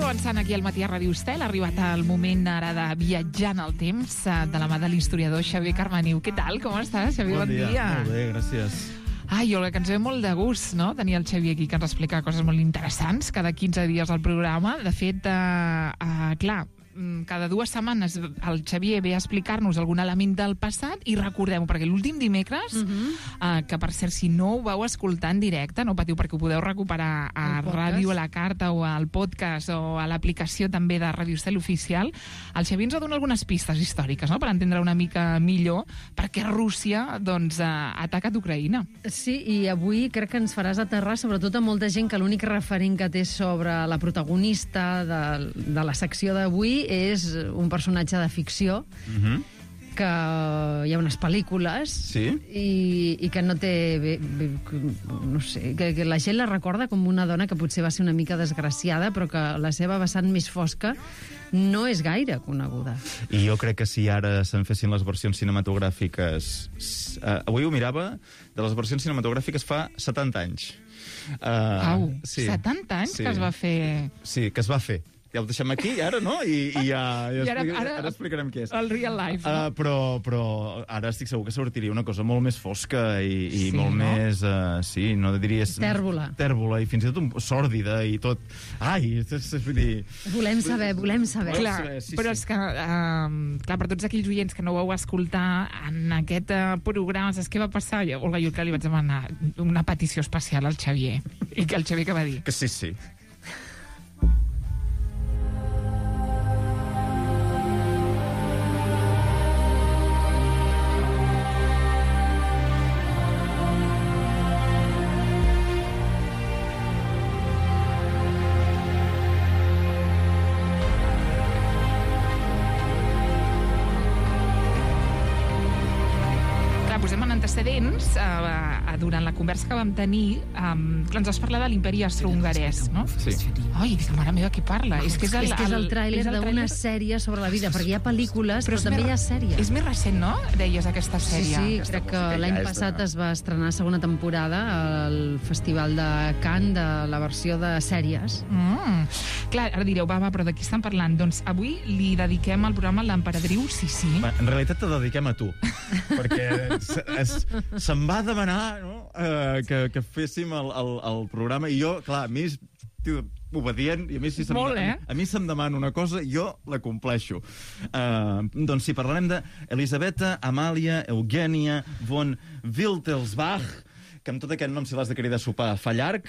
avançant aquí al matí a Ràdio Estel. Ha arribat el moment ara de viatjar en el temps de la mà de l'historiador Xavier Carmaniu. Què tal? Com estàs, Xavier? Bon dia. Molt bé, gràcies. Ai, Olga, que ens ve molt de gust, no?, tenir el Xavier aquí, que ens explica coses molt interessants cada 15 dies al programa. De fet, clar, cada 2 setmanes el Xavier ve a explicar-nos algun element del passat i recordem-ho, perquè l'últim dimecres, que per cert, si no ho vau escoltar en directe, no patiu, perquè ho podeu recuperar a Ràdio a la Carta o al podcast o a l'aplicació també de Ràdio Estel Oficial, el Xavier ens ha donat algunes pistes històriques, no?, per entendre una mica millor per què Rússia, doncs, ha atacat Ucraïna. Sí, i avui crec que ens faràs aterrar sobretot a molta gent que l'únic referent que té sobre la protagonista de la secció d'avui és un personatge de ficció, que hi ha unes pel·lícules, i que no té... no sé, que la gent la recorda com una dona que potser va ser una mica desgraciada, però que la seva vessant més fosca no és gaire coneguda. I jo crec que si ara se'n fessin les versions cinematogràfiques... avui ho mirava, de les versions cinematogràfiques fa 70 anys. Au, 70 anys que es va fer... Sí, que es va fer. Ja ho deixem aquí, ara, no? I ara explicarem què és. El real life, no? Però ara estic segur que sortiria una cosa molt més fosca i molt més... sí, no diries... Tèrbola. Tèrbola, i fins i tot sòrdida i tot... Ai, volem saber. Clar, però és que, clar, per tots aquells oients que no ho vau escoltar en aquest programa, saps què va passar? Olga, jo que li vaig demanar una petició especial al Xavier. I que el Xavier que va dir? Que sí. Antecedents, durant la conversa que vam tenir, ens vas parlar de l'imperi austrohongarès, no? Sí. Ai, dic, mare meva, qui parla? És que és el tràiler d'una sèrie sobre la vida, perquè hi ha pel·lícules, però també hi ha sèries. És més recent, no? Deies, aquesta sèrie. Sí, crec que l'any passat es va estrenar segona temporada al Festival de Cannes de la versió de sèries. Clar, ara direu, va, però de qui estan parlant? Doncs avui li dediquem el programa a l'emperadriu Sissi. En realitat te dediquem a tu, perquè se'm va demanar, no?, que féssim el programa, i jo, clar, a mi és obedient, i a mi si se'm demana una cosa, jo la compleixo. Doncs sí, parlarem d'Elisabeta Amàlia Eugènia von Wittelsbach, que amb tot aquest nom, si l'has de cridar a sopar, fa llarg,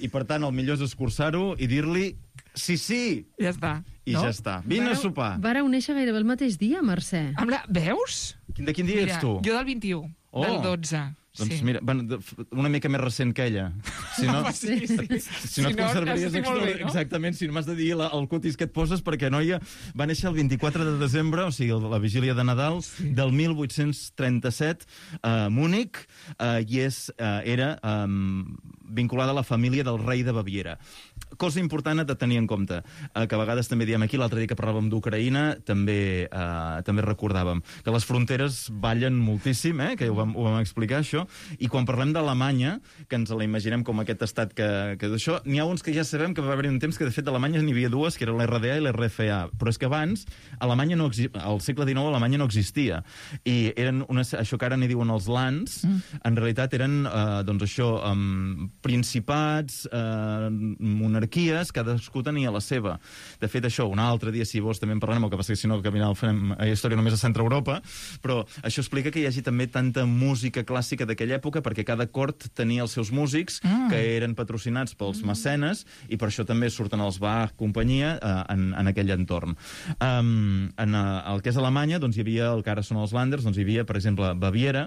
i per tant el millor és escurçar-ho i dir-li sí. Ja està. I ja està. Vine a sopar. Vareu néixer gairebé el mateix dia, Mercè. Veus? De quin dia ets tu? Jo del 21, del 12. Doncs mira, una mica més recent que ella. Si no, si no et conservaries exactament, si no m'has de dir el cutis que et poses, perquè noia va néixer el 24 de desembre, o sigui, la vigília de Nadal, del 1837 a Múnich, i era vinculada a la família del rei de Baviera. Cosa important de tenir en compte, que a vegades també diem aquí, l'altre dia que parlàvem d'Ucraïna, també recordàvem que les fronteres ballen moltíssim, que ho vam explicar, això, i quan parlem d'Alemanya, que ens la imaginem com aquest estat que d'això, n'hi ha uns que ja sabem que va haver un temps que de fet d'Alemanya n'hi havia dues, que era l'RDA i l'RFA, però és que abans Alemanya al segle XIX Alemanya no existia, i eren això que ara n'hi diuen els lands, en realitat eren doncs això, principats, monarquies, cadascú tenia la seva. De fet, això, un altre dia, si vols, també en parlarem, el que passa que si no, que al final farem història només a Centre Europa, però això explica que hi hagi també tanta música clàssica d'aquella època, perquè cada cort tenia els seus músics, que eren patrocinats pels mecenes, i per això també surten els Bach, companyia, en aquell entorn. En el que és Alemanya, doncs hi havia, el que ara són els Landers, doncs hi havia, per exemple, Baviera,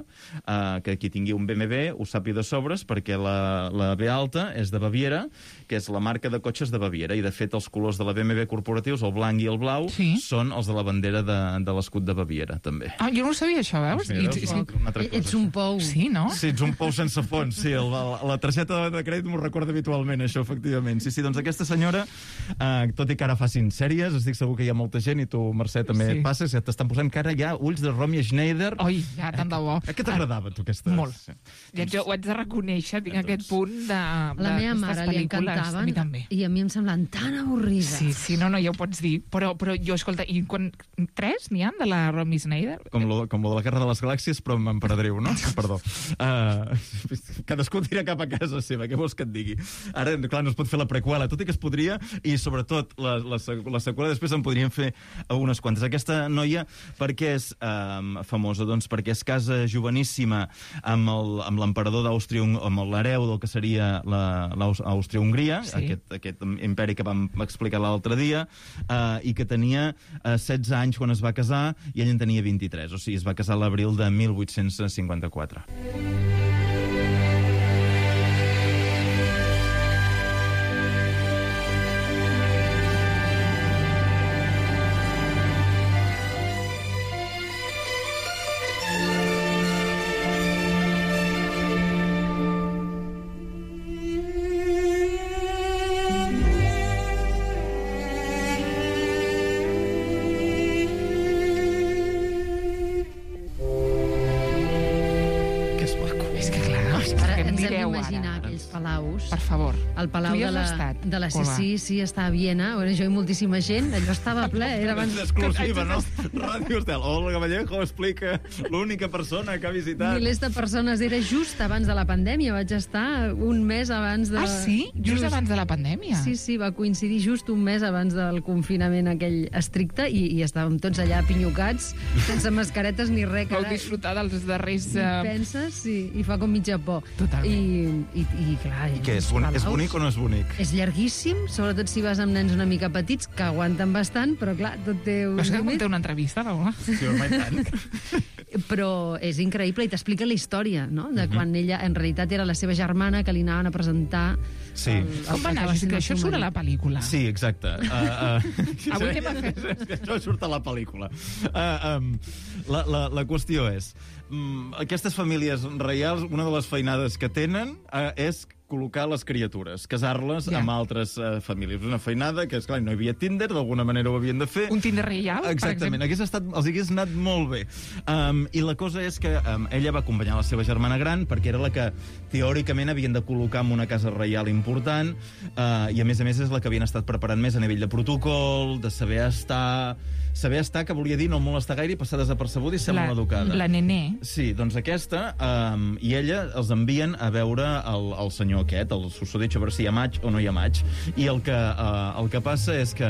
que qui tingui un BMW ho sàpiga de sobres, perquè la B alta és de Baviera, que és la marca de cotxes de Baviera, i de fet els colors de la BMW corporatius, el blanc i el blau, són els de la bandera de l'escut de Baviera, també. Jo no ho sabia, això, veus? Un altre Ets un pou. Sí, no? Sí, ets un pou sense fons, sí. La targeta de crèdit m'ho recorda habitualment, això, efectivament. Sí, doncs aquesta senyora, tot i que ara facin sèries, estic segur que hi ha molta gent, i tu, Mercè, també et passes, ja t'estan posant cara ja ulls de Romy Schneider. Oi, ja, tant de bo. Què t'agradava, tu, aquesta? Molt. Ja jo ho haig de reconèixer, tinc aquest punt de la meva mare li encantaven i a mi em semblaven tan avorrides. Sí, no, ja ho pots dir. Però jo, escolta, i quan 3 n'hi ha de la Romy Schneider? Com lo de la Guerra de les Galàxies, però amb emperadriu, no? Perdó. Cadascú tira cap a casa seva, què vols que et digui? Ara, clar, no es pot fer la preqüela, tot i que es podria, i sobretot la seqüela després en podrien fer unes quantes. Aquesta noia, per què és famosa? Doncs perquè es casa joveníssima amb l'emperador d'Àustria, amb l'hereu del que seria l'Àustria-Hongria, aquest imperi que vam explicar l'altre dia, i que tenia 16 anys quan es va casar, i ell en tenia 23, o sigui, es va casar a l'abril de 1854. Palaus. Per favor. El Palau de la CSI, sí, està a Viena. Jo i moltíssima gent, allò estava ple. Era abans... Exclusiva, no? Ràdio Estel. Olga Vallejo explica l'única persona que ha visitat. Milers de persones. Era just abans de la pandèmia. Vaig estar un mes abans de... Ah, sí? Just abans de la pandèmia? Sí, va coincidir just un mes abans del confinament aquell estricte i estàvem tots allà pinyocats, sense mascaretes ni res. Vau disfrutar dels darrers... Penses? Sí, i fa com mitja por. Totalment. I clar... I què, és bonic o no és bonic? És llarguíssim, sobretot si vas amb nens una mica petits, que aguanten bastant, però clar, tot té un límit. límit. Té una entrevista, no? Sí, home, i tant. Però és increïble i t'explica la història, no? De quan ella, en realitat, era la seva germana que li anaven a presentar... Sí. Com va anar? Això surt a la pel·lícula. Sí, exacte. Avui què va fer? Això surt a la pel·lícula. La qüestió és... Aquestes famílies reials, una de les feinades que tenen és col·locar les criatures, casar-les amb altres famílies. Una feinada que, esclar, no hi havia Tinder, d'alguna manera ho havien de fer. Un Tinder reial, exactament, els hagués anat molt bé. I la cosa és que ella va acompanyar la seva germana gran, perquè era la que teòricament havien de col·locar en una casa reial important, i a més és la que havien estat preparant més a nivell de protocol, de saber estar, que volia dir no molestar gaire i passar desapercebuda i ser molt educada. La nené. Sí, doncs aquesta, i ella els envien a veure el senyor aquest, el susodicho, a veure si hi ha maig o no hi ha maig. I el que passa és que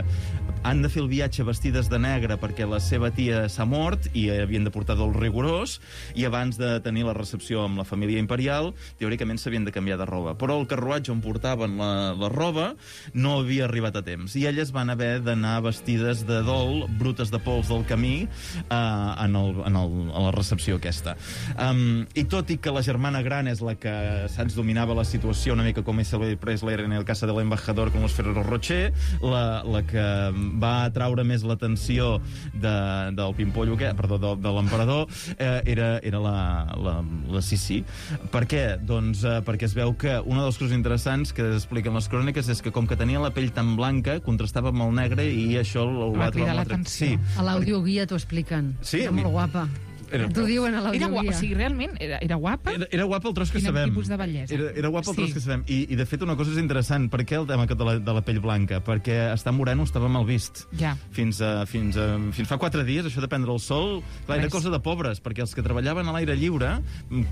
han de fer el viatge vestides de negre perquè la seva tia s'ha mort i havien de portar dol rigorós, i abans de tenir la recepció amb la família imperial, teòricament s'havien de canviar de roba. Però el carruatge on portaven la roba no havia arribat a temps, i elles van haver d'anar vestides de dol, brutes de pols del camí, a la recepció aquesta. I tot i que la germana gran és la que saps dominava la situació una mica com Elvis Presley en el Casa de l'Embajador con los Ferrero Rocher, la que va atraure més l'atenció del pimpollo, de l'emperador, era la Sissi. Per què? Doncs perquè es veu que una de les coses interessants que expliquen les cròniques és que com que tenia la pell tan blanca, contrastava amb el negre, i això va cridar l'atenció. A l'audioguia t'ho expliquen. Sí, era molt guapa. T'ho diuen a l'audioguia. O sigui, realment, era guapa? Era guapa el tros que sabem. Quin tipus de bellesa. Era guapa el tros que sabem. I de fet, una cosa és interessant. Per què el tema de la pell blanca? Perquè estar moreno estava mal vist. Ja. Fins fa 4 dies, això de prendre el sol, clar, era cosa de pobres, perquè els que treballaven a l'aire lliure,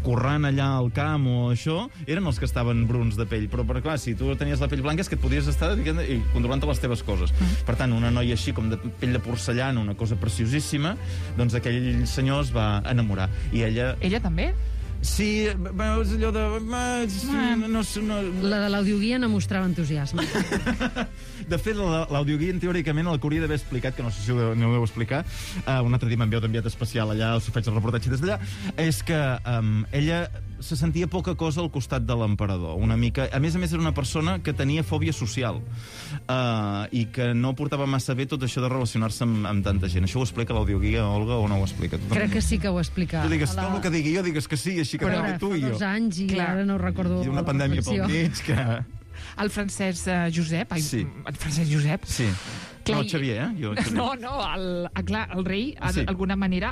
corrant allà al camp o això, eren els que estaven bruns de pell. Però clar, si tu tenies la pell blanca és que et podies estar controlant les teves coses. Per tant, una noia així, com de pell de porcellana, una cosa preciosíssima, doncs aquell senyor es va enamorar. I ella... Ella també? Sí, veus allò de... La de l'audioguia no mostrava entusiasme. De fet, l'audioguia, teòricament, el que hauria d'haver explicat, que no sé si no ho deu explicar, un altre dia m'enviat especial allà, us faig el reportatge des d'allà, és que ella se sentia poca cosa al costat de l'emperador. Una mica... A més era una persona que tenia fòbia social i que no portava massa bé tot això de relacionar-se amb tanta gent. Això ho explica l'audioguia, Olga, o no ho explica? Crec que sí que ho explica. Tu digues tot el que digui jo, digues que sí, així que tu i jo. Fa 2 anys i ara no recordo... Hi ha una pandèmia pel mig que... El Francesc Josep... Sí. El Francesc Josep... Sí. No, Xavier, Jo, Xavier. El rei, d'alguna manera,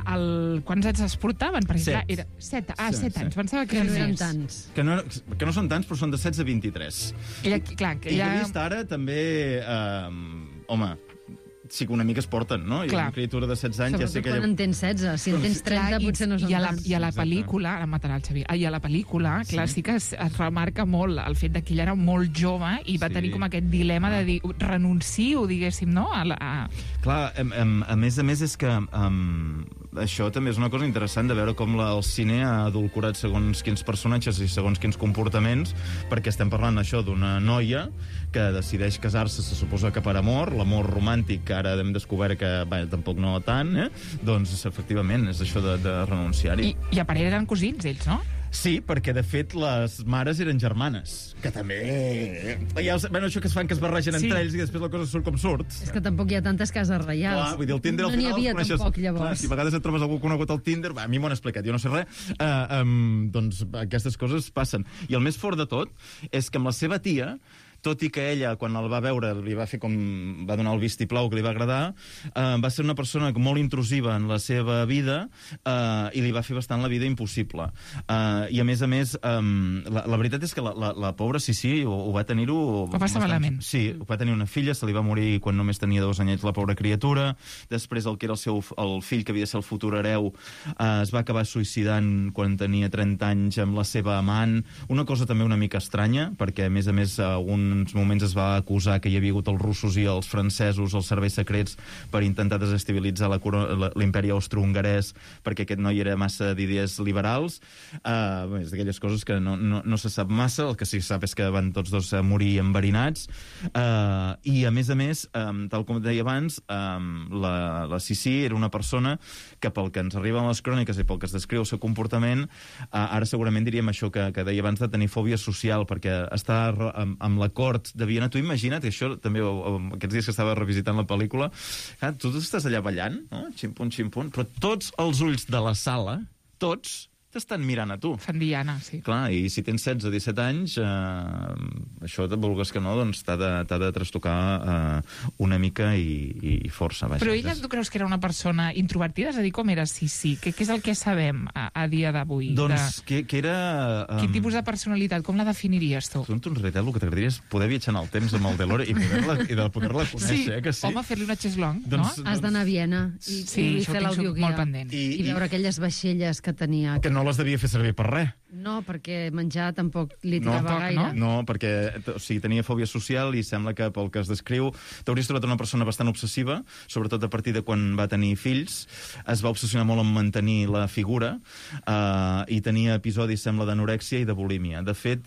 quants anys es portaven? Perquè, clar, era 7 anys. Pensava que no eren més. tants. Que no són tants, però són de 16 a 23. I he vist ara també... home, sí que una mica es porten, no? I una criatura de 16 anys ja sé que... Sobretot quan en tens 16. Si en tens 30 potser no són tants. I a la pel·lícula, ara matarà el Xavier, i a la pel·lícula, clar, sí que es remarca molt el fet que ell era molt jove i va tenir com aquest dilema de dir, renuncio, diguéssim, no? Clar, a més és que això també és una cosa interessant de veure com el cine ha adulcorat segons quins personatges i segons quins comportaments, perquè estem parlant això d'una noia que decideix casar-se, se suposa que per amor, l'amor romàntic, que ara hem descobert que tampoc no tant, doncs efectivament és això de renunciar-hi. I a part eren cosins, ells, no? Sí, perquè de fet les mares eren germanes, que també... això que es fan que es barregen entre ells i després la cosa surt com surt. És que tampoc hi ha tantes cases reials. Clar, vull dir, el Tinder al final... No n'hi havia tampoc, llavors. Clar, si a vegades et trobes algú conegut al Tinder, a mi m'ho han explicat, jo no sé res, doncs aquestes coses passen. I el més fort de tot és que amb la seva tia, tot i que ella, quan el va veure, li va fer com... va donar el vistiplau que li va agradar, va ser una persona molt intrusiva en la seva vida i li va fer bastant la vida impossible. I a més, la veritat és que la pobra Sissi ho va tenir-ho... Ho va passar malament. Sí, va tenir una filla, se li va morir quan només tenia 2 anyets la pobra criatura. Després el que era el fill, que havia de ser el futur hereu, es va acabar suïcidant quan tenia 30 anys amb la seva amant. Una cosa també una mica estranya, perquè a més, uns moments es va acusar que hi havia hagut els russos i els francesos, els serveis secrets, per intentar desestabilitzar l'imperi austro-hongarès, perquè aquest noi era massa d'idees liberals. És d'aquelles coses que no se sap massa, el que sí que sap és que van tots dos morir enverinats. I, a més, tal com deia abans, la Sissi era una persona que, pel que ens arriben les cròniques i pel que es descriu el seu comportament, ara segurament diríem això que deia abans de tenir fòbia social, perquè està amb la cort de Viena. Tu imagina't, que això també aquests dies que estava revisitant la pel·lícula, tu estàs allà ballant, no? Ximpun, ximpun, però tots els ulls de la sala, tots, t'estan mirant a tu. Fan diana, sí. Clar, i si tens 16 o 17 anys, això, vulgues que no, doncs t'ha de trastocar una mica i força. Vaja. Però ella, tu creus que era una persona introvertida? És a dir, com era Sissi? Què és el que sabem a dia d'avui? Doncs que era... Quin tipus de personalitat? Com la definiries tu? Tu, en realitat, el que t'agradaria és poder viatjar en el temps amb el DeLorean i de poder-la conèixer, que sí? Home, fer-li una xeslong, doncs, no? Has d'anar a Viena i fer l'audioguia. Molt pendent. I veure aquelles vaixelles que tenia. Que no les devia fer servir per res. No, perquè menjar tampoc li tirava gaire. No, perquè tenia fòbia social i sembla que, pel que es descriu, t'hauries trobat una persona bastant obsessiva, sobretot a partir de quan va tenir fills. Es va obsessionar molt en mantenir la figura i tenia episodis, sembla, d'anorèxia i de bulímia. De fet,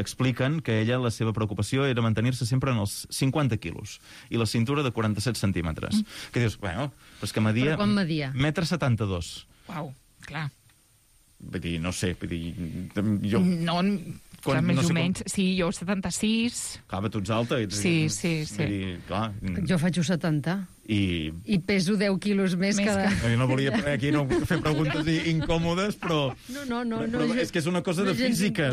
expliquen que ella, la seva preocupació era mantenir-se sempre en els 50 quilos i la cintura de 47 centímetres. Que dius, bueno, però és que media... Però quan media? 1,72 m. Uau, clar. Vull dir, no sé, jo... No, clar, més o menys. Sí, jo 76. Clar, tu ets alta. Sí. Vull dir, clar... Jo faig 1,70. I peso 10 quilos més cada... Jo no volia aquí fer preguntes incòmodes, però... No, és que és una cosa de física.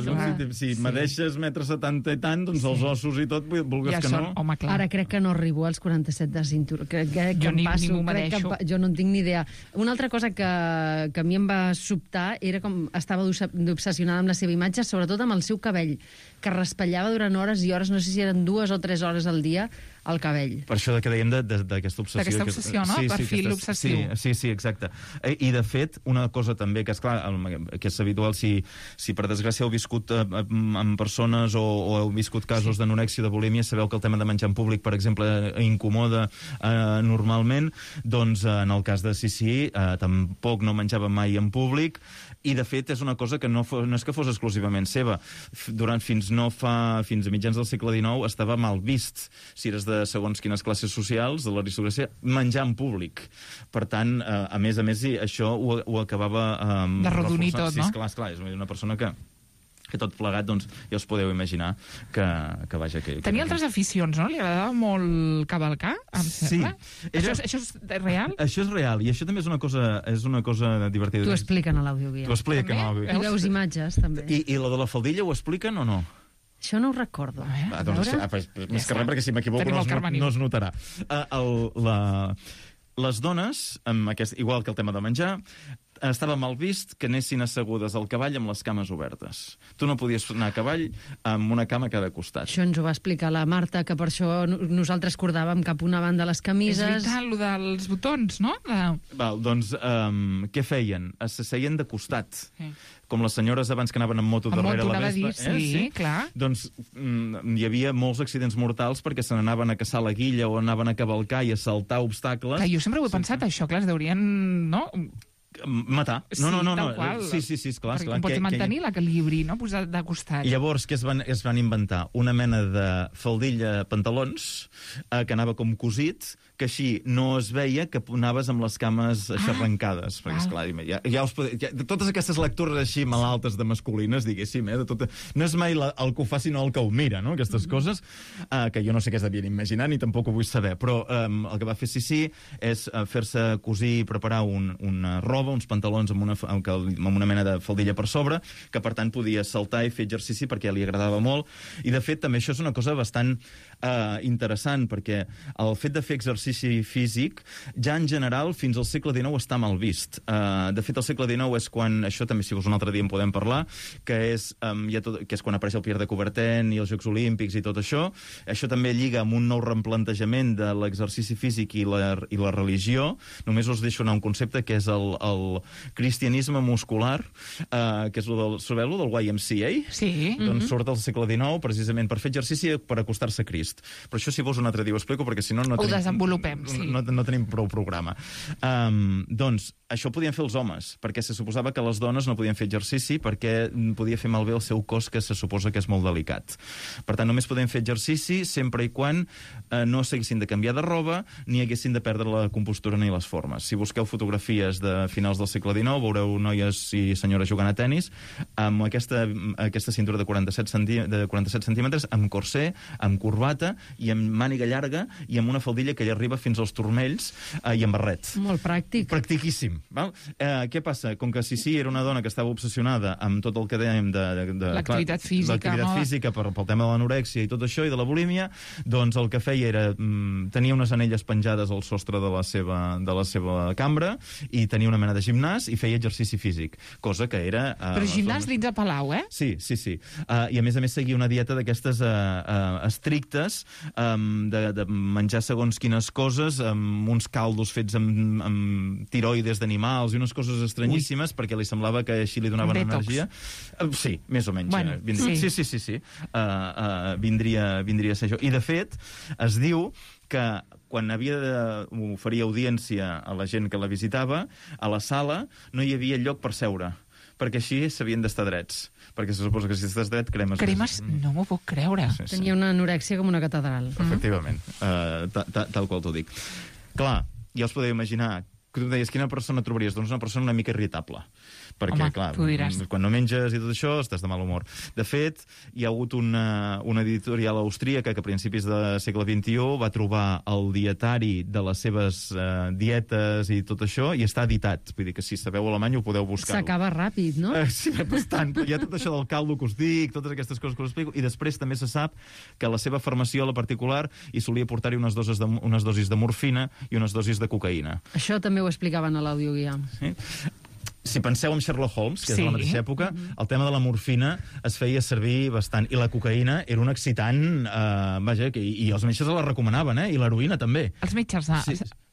Si medeixes 1,70 m i tant, doncs els ossos i tot, vulgues que no... Home, clar. Ara crec que no arribo als 47 de cintura. Jo ningú medeixo. Jo no en tinc ni idea. Una altra cosa que a mi em va sobtar era com estava obsessionada amb la seva imatge, sobretot amb el seu cabell, que raspallava durant hores i hores, no sé si eren 2 o 3 hores al dia, el cabell. Per això que dèiem d'aquesta obsessió. D'aquesta obsessió, no? Sí, perfil obsessiu. Sí, exacte. I, de fet, una cosa també que, esclar, que és habitual, si per desgràcia heu viscut amb persones o heu viscut casos d'anorèxia, de bulímia, sabeu que el tema de menjar en públic, per exemple, incomoda normalment, doncs en el cas de Sissi tampoc no menjava mai en públic, i, de fet, és una cosa que no és que fos exclusivament seva. Fins a mitjans del segle XIX estava mal vist. Si eres de segons quines classes socials, de l'aristocràcia, menjar en públic. Per tant, a més, això ho acabava... de rodonir tot, no? Sí, esclar, és una persona que tot plegat, doncs, ja us podeu imaginar que vaja... Tenia altres aficions, no? Li agradava molt cavalcar, em sembla. Això és real? Això és real, i això també és una cosa divertida. T'ho expliquen a l'Audioguia. T'ho expliquen a l'Audioguia. I veus imatges, també. I la de la faldilla ho expliquen o no? Això no ho recordo. Doncs, més que res, perquè si m'equivoco no es notarà. Les dones, igual que el tema de menjar, estava mal vist que anessin assegudes al cavall amb les cames obertes. Tu no podies anar a cavall amb una cama a cada costat. Això ens ho va explicar la Marta, que per això nosaltres cordàvem cap una banda les camises. És veritat, allò dels botons, no? Doncs, què feien? S'asseien de costat. Sí. Com les senyores abans que anaven amb moto darrere la vespa. Sí, clar. Doncs hi havia molts accidents mortals perquè se n'anaven a caçar la guilla o anaven a cavalcar i a saltar obstacles. Jo sempre ho he pensat, això, clar, es deurien... no? Matar. No. Sí, esclar. Perquè pots mantenir l'equilibri, no? Posar de costat. Llavors, què es van inventar? Una mena de faldilla pantalons que anava com cosit, que així no es veia que anaves amb les cames aixarrancades. Perquè, esclar, totes aquestes lectures així malaltes de masculines, diguéssim, no és mai el que ho fa, sinó el que ho mira, no? Aquestes coses, que jo no sé què es devien imaginar, ni tampoc ho vull saber, però el que va fer Sissi és fer-se cosir i preparar una roba, uns pantalons amb una mena de faldilla per sobre, que per tant podia saltar i fer exercici perquè li agradava molt. I de fet també això és una cosa bastant interessant, perquè el fet de fer exercici físic ja en general fins al segle XIX està mal vist. De fet, el segle XIX és quan, això també si vols un altre dia en podem parlar, que és quan apareix el Pierre de Coubertin i els Jocs Olímpics i tot això. Això també lliga amb un nou replantejament de l'exercici físic i la religió. Només us deixo anar un concepte que és el cristianisme muscular, que és sabeu del YMCA? Sí. Doncs surt al segle XIX precisament per fer exercici per acostar-se a Crist. Però això si vols un altre dia ho explico, perquè si no desenvolupem, sí. No tenim prou programa. Doncs això ho podien fer els homes, perquè se suposava que les dones no podien fer exercici perquè podia fer malbé el seu cos, que se suposa que és molt delicat. Per tant, només podien fer exercici sempre i quan no s'haguessin de canviar de roba ni haguessin de perdre la compostura ni les formes. Si busqueu fotografies de finals del segle XIX, veureu noies i senyores jugant a tennis amb aquesta cintura de 47 centímetres, amb corsé, amb corbata i amb màniga llarga i amb una faldilla que li arriba fins als turmells i amb barret. Molt pràctic. Practiquíssim. Val? Què passa? Com que Sissi era una dona que estava obsessionada amb tot el que dèiem de l'activitat física pel tema de l'anorèxia i tot això, i de la bulímia, doncs el que feia era tenia unes anelles penjades al sostre de la seva cambra i tenia una mena de gimnàs i feia exercici físic, cosa que era... Però gimnàs dins de Palau, eh? Sí. I a més seguia una dieta d'aquestes estrictes, de menjar segons quines coses, amb uns caldos fets amb tiroides d'animals i unes coses estranyíssimes, perquè li semblava que així li donaven energia. Sí, més o menys. Bueno, sí. Vindria a ser això. I, de fet, es diu que quan havia d'oferir audiència a la gent que la visitava, a la sala no hi havia lloc per seure, perquè així s'havien d'estar drets. Perquè se suposa que si estàs dret, cremes. Cremes? No m'ho puc creure. Sí. Tenia una anorèxia com una catedral. Efectivament. Tal qual t'ho dic. Clar, ja us podeu imaginar que tu deies, quina persona trobaries? Doncs una persona una mica irritable. Perquè, home, clar, tu diràs. Quan no menges i tot això, estàs de mal humor. De fet, hi ha hagut una editorial austríaca que a principis del segle XXI va trobar el dietari de les seves dietes i tot això, i està editat. Vull dir que si sabeu alemany ho podeu buscar. S'acaba ràpid, no? Sí, bastant. Hi ha tot això del caldo que us dic, totes aquestes coses que us explico, i després també se sap que la seva farmaciola particular hi solia portar-hi unes dosis de morfina i unes dosis de cocaïna. Això també ho explicaven a l'Audioguia. Sí? Si penseu en Sherlock Holmes, que és de la mateixa època, el tema de la morfina es feia servir bastant. I la cocaïna era un excitant, i els metges la recomanaven, i l'heroïna també. Els metges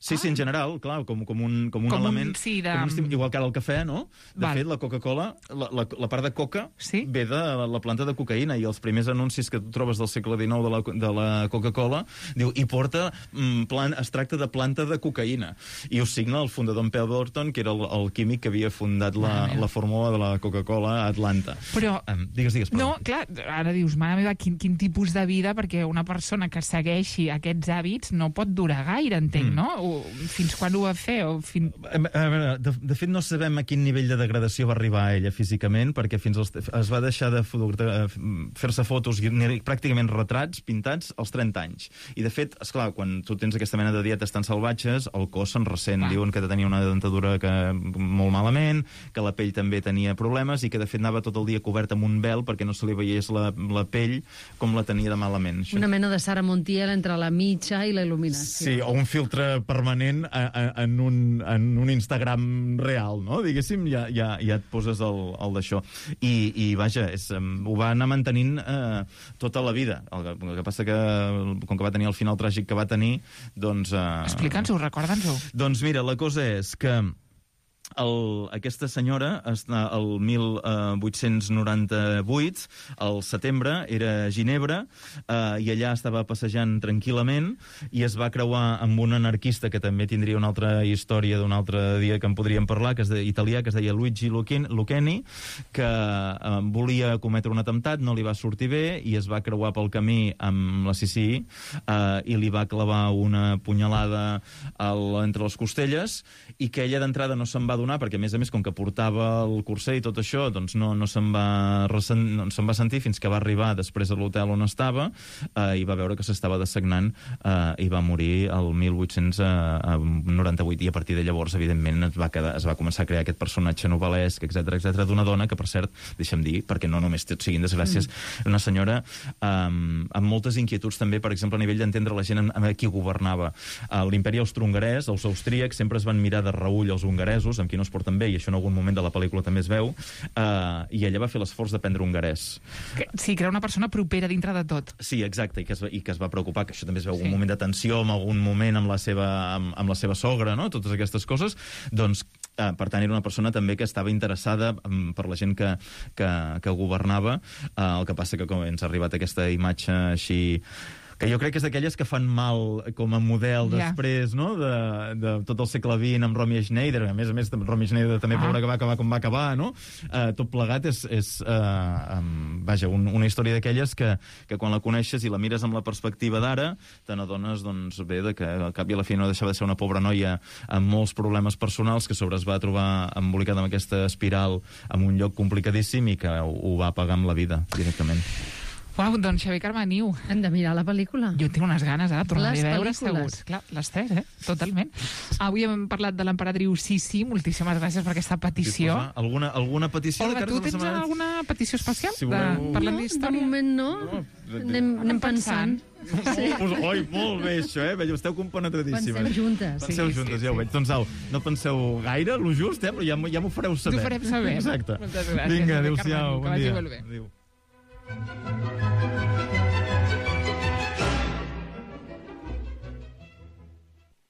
Sí, en general, clar, com un element... Igual que ara el cafè, no? De fet, la Coca-Cola, la part de coca ve de la planta de cocaïna, i els primers anuncis que tu trobes del segle XIX de la Coca-Cola, diu, i porta es tracta de planta de cocaïna. I ho signa el fundador en Pemberton, que era el químic que havia fundat la fórmula de la Coca-Cola a Atlanta. Però... Digues. No, clar, ara dius, mare meva, quin tipus de vida, perquè una persona que segueixi aquests hàbits no pot durar gaire, entenc, no? Fins quan ho va fer? A veure, de fet no sabem a quin nivell de degradació va arribar ella físicament, perquè es va deixar de fer-se fotos i pràcticament retrats pintats als 30 anys. I de fet, esclar, quan tu tens aquesta mena de dietes tan salvatges, el cos se'n ressent. Diuen que tenia una dentadura molt malament, que la pell també tenia problemes i que de fet anava tot el dia cobert amb un vel perquè no se li veiés la pell com la tenia de malament. Una mena de Sara Montiel entre la mitja i la il·luminació. Sí, o un filtre permanent en un Instagram real, no? Diguéssim, ja et poses el d'això. I vaja, ho va anar mantenint tota la vida. El que passa que, com que va tenir el final tràgic que va tenir, doncs... Explica'ns-ho, recorda'ns-ho. Doncs mira, la cosa és que aquesta senyora, el 1898, al setembre, era a Ginebra, i allà estava passejant tranquil·lament i es va creuar amb un anarquista que també tindria una altra història d'un altre dia que en podríem parlar, italià, que es deia Luigi Lucchini, que volia cometre un atemptat, no li va sortir bé i es va creuar pel camí amb la Sissi i li va clavar una punyalada entre les costelles, i que ella d'entrada no se'n va donar, perquè a més, com que portava el curser i tot això, doncs no se'n va sentir fins que va arribar després a l'hotel on estava i va veure que s'estava dessagnant i va morir el 1898. I a partir de llavors, evidentment, es va començar a crear aquest personatge novel·lesc, etc d'una dona que, per cert, deixa'm dir, perquè no només siguin desgràcies, una senyora amb moltes inquietuds també, per exemple, a nivell d'entendre la gent amb qui governava. L'imperi austrohongarès, els austríacs, sempre es van mirar de reull els hongaresos, amb qui no es porten bé, i això en algun moment de la pel·lícula també es veu, i ella va fer l'esforç d'aprendre hongarès. Sí, que era una persona propera dintre de tot. Sí, exacte, i que es va preocupar, que això també es veu un moment de tensió, en algun moment amb la seva sogra, no? Totes aquestes coses. Doncs, per tant, era una persona també que estava interessada per la gent que governava. El que passa que com ens ha arribat aquesta imatge així, que jo crec que és d'aquelles que fan mal com a model després, no?, de tot el segle XX amb Romy Schneider. A més, Romy Schneider també, pobra, que va acabar com va acabar, no? Tot plegat és vaja, una història d'aquelles que quan la coneixes i la mires amb la perspectiva d'ara, te n'adones, doncs, bé, que al cap i a la fi no deixava de ser una pobra noia amb molts problemes personals, que sobre es va trobar embolicada amb aquesta espiral en un lloc complicadíssim i que ho va pagar amb la vida, directament. Uau, doncs Xavier Carmeniu. Hem de mirar la pel·lícula. Jo tinc unes ganes, tornar-hi a veure, segur. Les Clar, les tres, totalment. Avui hem parlat de l'emperadriu Sissi. Moltíssimes gràcies per aquesta petició. Alguna petició? Olga, tu tens alguna petició especial? Si voleu... Parlant d'història? De moment no. Anem pensant. Sí. Oi, molt bé, això, esteu compenetradíssimes. Penseu juntes. Penseu juntes, ja ho veig. Doncs au, no penseu gaire, lo just, però ja m'ho fareu saber. T'ho farem saber. Exacte. Moltes gràcies. Vinga, adéu-siau, bon dia. Que vagi molt bé. Adéu.